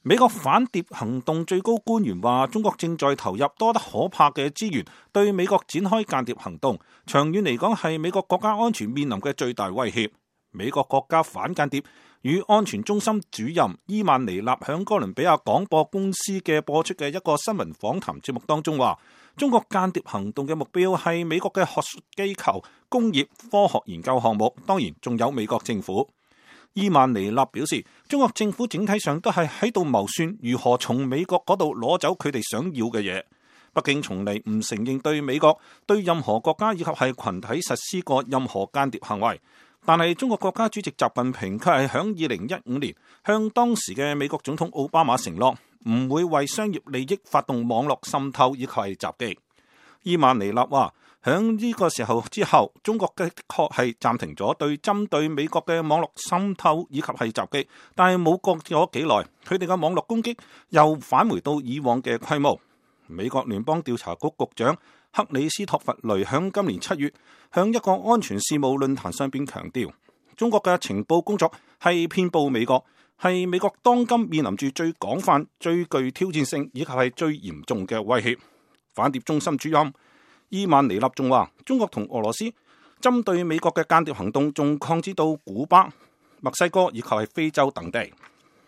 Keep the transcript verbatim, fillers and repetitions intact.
美國反諜行動最高官員話，中國正在投入多得可怕嘅資源對美國展開間諜行動，長遠嚟講係美國國家安全面臨嘅最大威脅。美國國家反間諜與安全中心主任伊曼尼納響哥倫比亞廣播公司嘅播出嘅一個新聞訪談節目當中話，中國間諜行動嘅目標係美國嘅學術機構、工業、科學研究項目，當然仲有美國政府。伊曼尼納表示，中國政府整體上都係喺度謀算如何從美國嗰度攞走佢哋想要嘅嘢。北京從嚟唔承認對美國對任何國家以及係群體實施過任何間諜行為，但係中國國家主席習近平卻係響二零一五年向當時嘅美國總統奧巴馬承諾，唔會為商業利益發動網絡滲透以及係襲擊。伊曼尼納話，響呢個時候之後，中國的確係暫停咗對針對美國嘅網絡滲透以及係襲擊，但係冇過咗幾耐，佢哋嘅網絡攻擊又返回到以往嘅規模。美國聯邦調查局局長克里斯托弗雷響今年七月向一個安全事務論壇上邊強調，中國嘅情報工作係遍佈美國，係美國當今面臨住最廣泛、最具挑戰性以及係最嚴重嘅威脅。反諜中心主任伊曼尼納仲話，中國同俄羅斯針對美國嘅間諜行動仲擴展到古巴、墨西哥以及係非洲等地。